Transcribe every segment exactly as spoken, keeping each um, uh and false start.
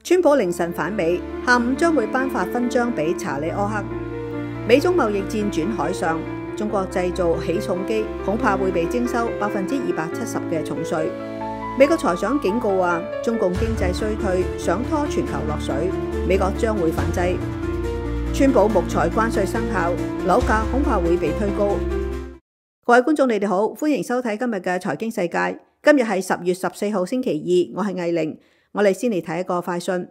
川普凌晨返美，下午將會頒發勳章俾查理柯克。美中貿易戰轉海上，中國製造起重機恐怕會被徵收百分之二百七十嘅重稅。美國財長警告話，中共經濟衰退想拖全球落水，美國將會反制。川普木材關稅生效，樓價恐怕會被推高。各位觀眾，你哋好，歡迎收睇今日嘅財經世界。今日係十月十四號星期二，我係藝玲。我哋先嚟睇一個快訊。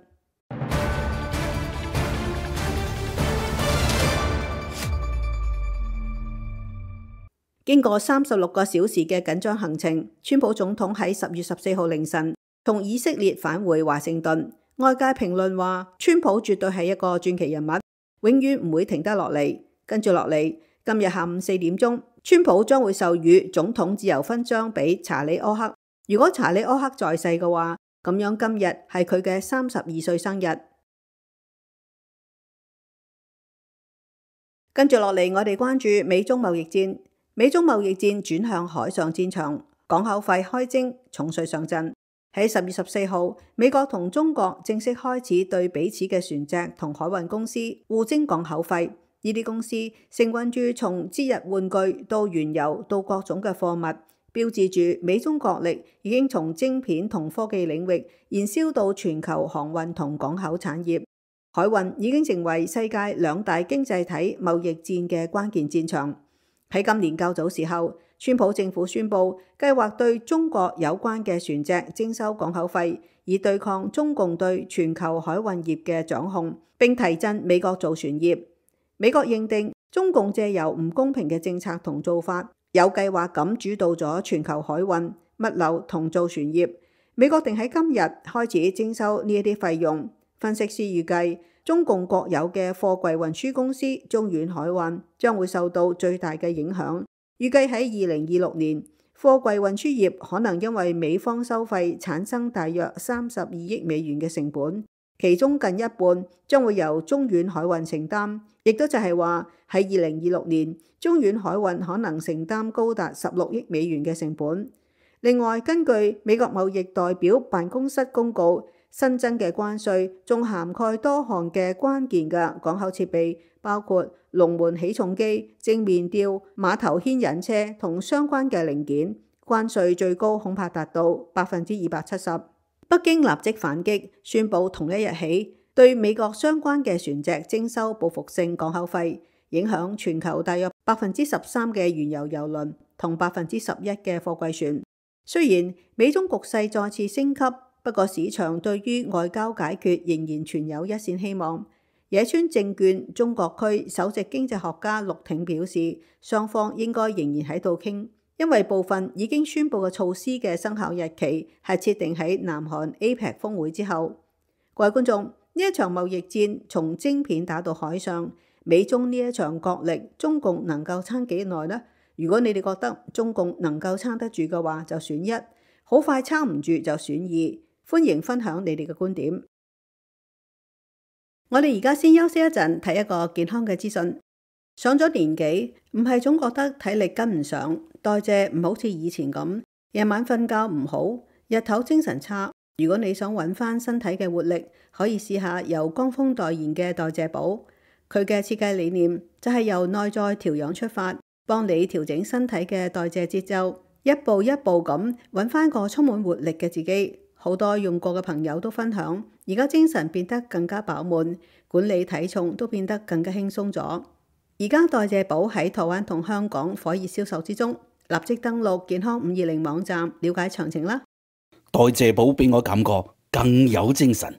經過三十六個小時嘅緊張行程，川普總統喺十月十四號凌晨從以色列返回華盛頓。外界評論話，川普絕對係一個傳奇人物，永遠唔會停得落嚟。跟住落嚟，今日下午四點鐘，川普將會授予總統自由勳章俾查理柯克。如果查理柯克在世嘅話，咁樣今日係佢嘅三十二歲生日。跟住落嚟，我哋關注美中貿易戰。美中貿易戰轉向海上戰場，港口費開徵，重稅上陣。喺十月十四號，美國同中國正式開始對彼此嘅船隻同海運公司互徵港口費。呢啲公司承運住從節日玩具到原油到各種嘅貨物，標誌住美中國力已經從晶片同科技領域延燒到全球航運同港口產業。海運已經成為世界兩大經濟體貿易戰嘅關鍵戰場。喺今年較早時候，川普政府宣布計劃對中國有關嘅船隻徵收港口費，以對抗中共對全球海運業嘅掌控，並提振美國造船業。美國認定中共借由唔公平嘅政策同做法，有計劃咁主導咗全球海運、物流同造船業。美國定喺今日開始徵收呢一啲費用。分析師預計，中共國有嘅貨櫃運輸公司中遠海運將會受到最大嘅影響。預計喺二零二六年，貨櫃運輸業可能因為美方收費產生大約三十二億美元嘅成本，其中近一半將會由中遠海運承擔，亦都就係話喺二零二六年，中遠海運可能承擔高達十六億美元嘅成本。另外，根據美國貿易代表辦公室公告，新增嘅關稅仲涵蓋多項嘅關鍵嘅港口設備，包括龍門起重機、正面吊、碼頭牽引車同相關嘅零件。關稅最高恐怕達到百分之二百七十。北京立即反擊，宣布同一日起對美國相關嘅船隻徵收報復性港口費，影響全球大約百分之十三嘅原油油輪同百分之十一嘅貨櫃船。雖然美中局勢再次升級，不過市場對於外交解決仍然存有一線希望。野村證券中國區首席經濟學家陸挺表示，雙方應該仍然喺度傾，因為部分已經宣布嘅措施嘅生效日期係設定喺南韓 A P E C 峰會之後。各位觀眾，呢一場貿易戰從晶片打到海上，美中呢一場角力，中共能夠撐幾耐呢？如果你哋覺得中共能夠撐得住嘅話，就選一；好快撐唔住就選二。歡迎分享你哋嘅觀點。我哋而家先休息一陣，睇一個健康嘅資訊。上咗年紀，唔係總覺得體力跟唔上，代謝唔好似以前咁，夜晚瞓覺唔好，日頭精神差。如果你想揾翻身體嘅活力，可以試下由江峰代言嘅代謝寶。佢嘅設計理念就係由內在調養出發，幫你調整身體嘅代謝節奏，一步一步咁揾翻個充滿活力嘅自己。好多用過嘅朋友都分享，而家精神變得更加飽滿，管理體重都變得更加輕鬆咗。而家代謝寶喺台灣同香港火熱銷售之中，立即登錄健康五二零網站了解詳情啦。代謝寶俾我感覺更有精神。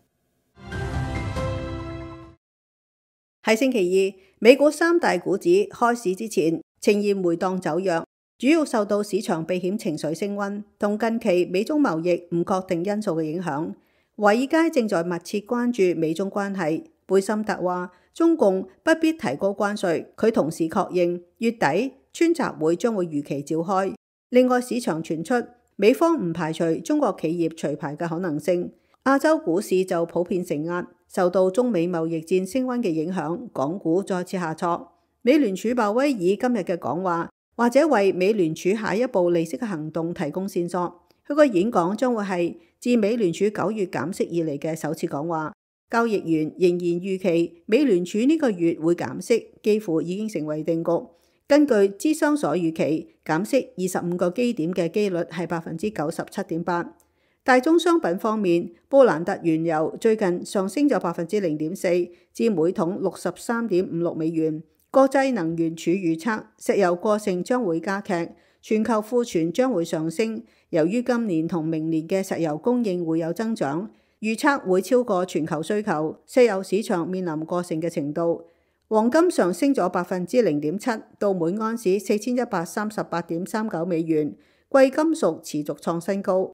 喺星期二，美股三大股指開市之前呈現回檔走弱。主要受到市場避險情緒升溫同近期美中貿易唔確定因素嘅影響。華爾街正在密切關注美中關係。貝森特話，中共不必提高關稅。佢同時確認月底川習會將會如期召開。另外，市場傳出美方唔排除中國企業除牌嘅可能性。亞洲股市就普遍承壓，受到中美貿易戰升溫嘅影響，港股再次下挫。美聯儲鮑威爾今日嘅講話，或者為美聯儲下一步利息嘅行動提供線索。佢個演講將會係自美聯儲九月減息以嚟嘅首次講話。交易員仍然預期美聯儲呢個月會減息，幾乎已經成為定局。根據諮商所預期，減息二十五個基點嘅機率係百分之九十七點八。大宗商品方面，布蘭特原油最近上升咗百分之零點四，至每桶六十三點五六美元。國際能源署預測石油過剩將會加劇，全球庫存將會上升。由於今年同明年嘅石油供應會有增長，預測會超過全球需求，石油市場面臨過剩嘅程度。黃金上升咗百分之零點七，到每安士四千一百三十八點三九美元。貴金屬持續創新高。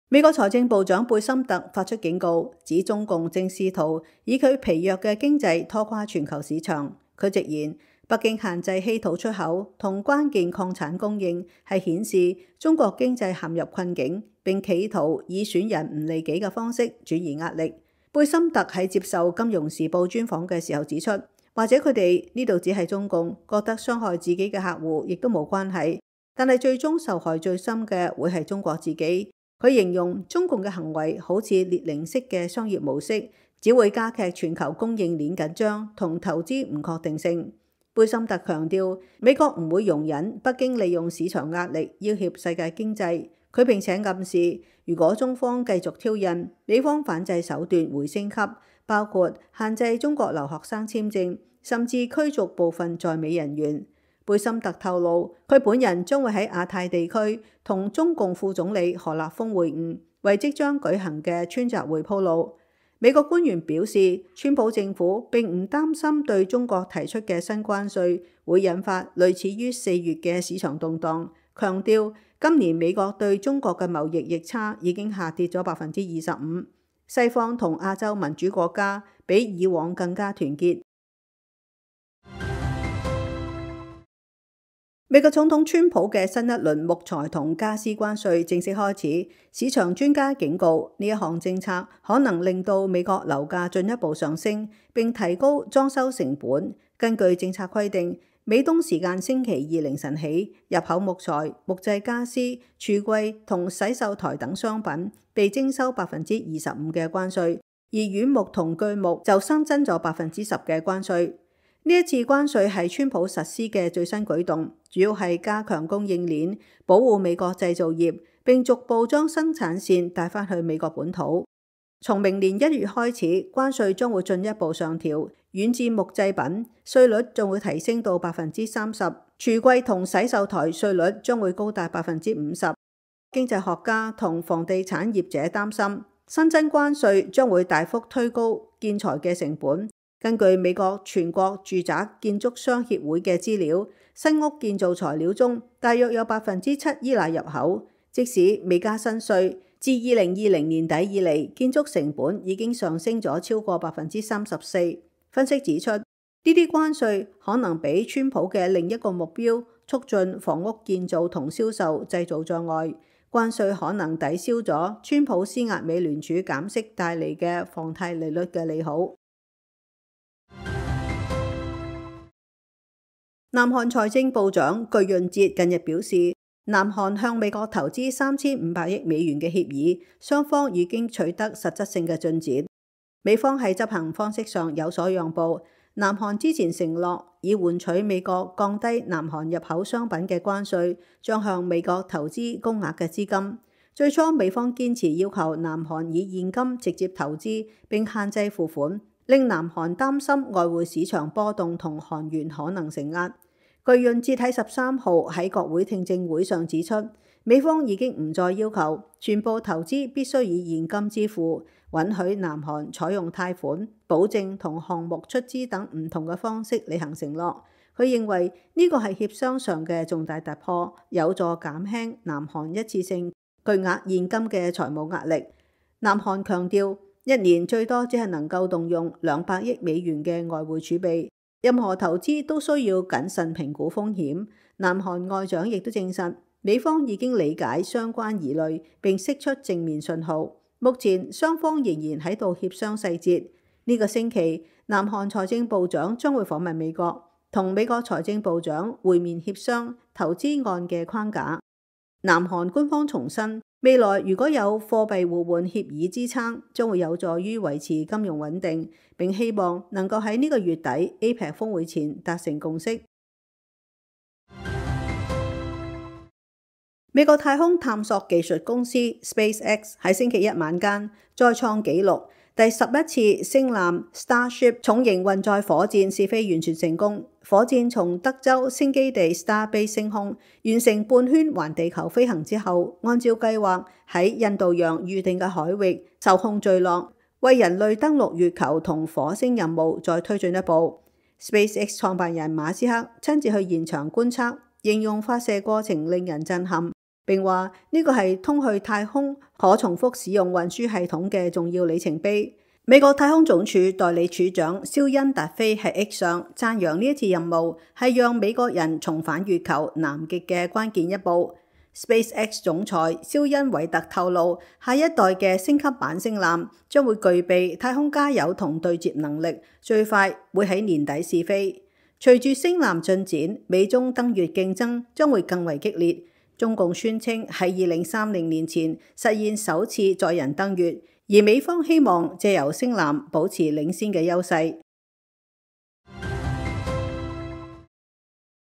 美國財政部長貝森特發出警告，指中共正試圖以佢疲弱嘅經濟拖垮全球市場。佢直言，北京限制稀土出口同關鍵礦產供應，係顯示中國經濟陷入困境，並企圖以損人唔利己嘅方式轉移壓力。貝森特喺接受《金融時報》專訪嘅時候指出，或者佢哋呢度只係中共覺得傷害自己嘅客戶亦都冇關係，但係最終受害最深嘅會係中國自己。佢形容中共嘅行為好似列寧式嘅商業模式，只會加劇全球供應鏈緊張同投資唔確定性。貝森特強調，美國唔會容忍北京利用市場壓力要挾世界經濟。佢並且暗示，如果中方繼續挑釁，美方反制手段會升級，包括限制中國留學生簽證，甚至驅逐部分在美人員。貝森特透露，佢本人將會喺亞太地區同中共副總理何立峰會晤，為即將舉行嘅川習會鋪路。美國官員表示，川普政府並唔擔心對中國提出嘅新關稅會引發類似於四月嘅市場動盪，強調今年美國對中國嘅貿易逆差已經下跌咗百分之二十五。西方同亞洲民主國家比以往更加團結。美國總統川普嘅新一輪木材同家私關稅正式開始，市場專家警告呢一項政策可能令到美國樓價進一步上升，並提高裝修成本。根據政策規定，美東時間星期二凌晨起，入口木材、木製家私、櫥櫃同洗手台等商品被徵收百分之二十五嘅關稅，而軟木同鋸木就新增咗百分之十嘅關稅。呢一次關稅係川普實施嘅最新舉動，主要係加強供應鏈，保護美國製造業，並逐步將生產線帶返去美國本土。從明年一月開始，關稅將會進一步上調，軟質木製品稅率將會提升到百分之三十，櫥櫃同洗手台稅率將會高達百分之五十。經濟學家同房地產業者擔心，新增關稅將會大幅推高建材嘅成本。根據美國全國住宅建築商協會嘅資料，新屋建造材料中大約有百分之七依賴入口。即使未加新稅，自二零二零年底以嚟，建築成本已經上升咗超過百分之三十四。分析指出，呢啲關稅可能俾川普嘅另一個目標促進房屋建造同銷售製造障礙。關稅可能抵消咗川普施壓美聯儲減息帶嚟嘅房貸利率嘅利好。南韓財政部長具潤哲近日表示，南韓向美國投資三千五百億美元嘅協議，雙方已經取得實質性嘅進展。美方喺執行方式上有所讓步。南韓之前承諾以換取美國降低南韓入口商品嘅關稅，將向美國投資高額嘅資金。最初美方堅持要求南韓以現金直接投資，並限制付款，令南韓擔心外匯市場波動同韓元可能承壓。具潤哲喺十三號喺國會聽證會上指出，美方已經唔再要求全部投資必須以現金支付，允許南韓採用貸款、保證同項目出資等唔同嘅方式履行承諾。佢認為呢個係協商上嘅重大突破，有助減輕南韓一次性巨額現金嘅財務壓力。南韓強調，一年最多只係能夠動用兩百億美元嘅外匯儲備，任何投資都需要謹慎評估風險。南韓外長亦都證實，美方已經理解相關疑慮並釋出正面信號。目前雙方仍然喺度協商細節。呢個星期，南韓財政部長將會訪問美國，同美國財政部長會面協商投資案嘅框架。南韓官方重申，未來如果有貨幣互換協議支撐，將會有助於維持金融穩定，並希望能夠喺呢個月底 A P E C 峰會前達成共識。美國太空探索技術公司 SpaceX 喺星期一晚間再創紀錄，第十一次星艦 Starship 重型運載火箭試飛完全成功。火箭從德州星基地 Starbase 升空，完成半圈環地球飛行之後，按照計劃喺印度洋預定嘅海域受控墜落，為人類登陸月球同火星任務再推進一步。SpaceX 創辦人馬斯克親自去現場觀測，形容發射過程令人震撼。並話呢個係通去太空可重複使用運輸系統嘅重要里程碑。美國太空總署代理處長肖恩達菲喺 X 上讚揚呢一次任務係讓美國人重返月球南極嘅關鍵一步。SpaceX 總裁肖恩韋特透露，下一代嘅升級版星艦將會具備太空加油同對接能力，最快會喺年底試飛。隨住星艦進展，美中登月競爭將會更為激烈。中共宣稱喺二零三零年前實現首次載人登月，而美方希望借由星艦保持領先嘅優勢。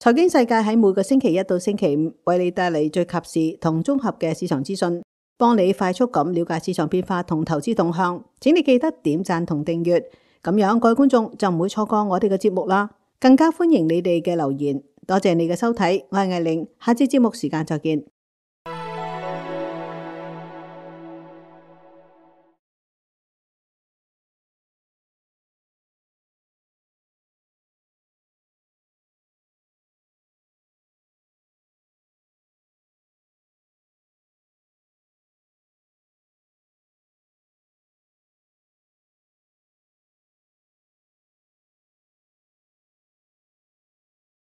財經世界喺每個星期一到星期五為你帶嚟最及時同綜合嘅市場資訊，幫你快速咁了解市場變化同投資動向。請你記得點讚同訂閱，咁樣各位觀眾就唔會錯過我哋嘅節目啦。更加歡迎你哋嘅留言。多謝你嘅收睇，我係艾玲，下次節目時間再見。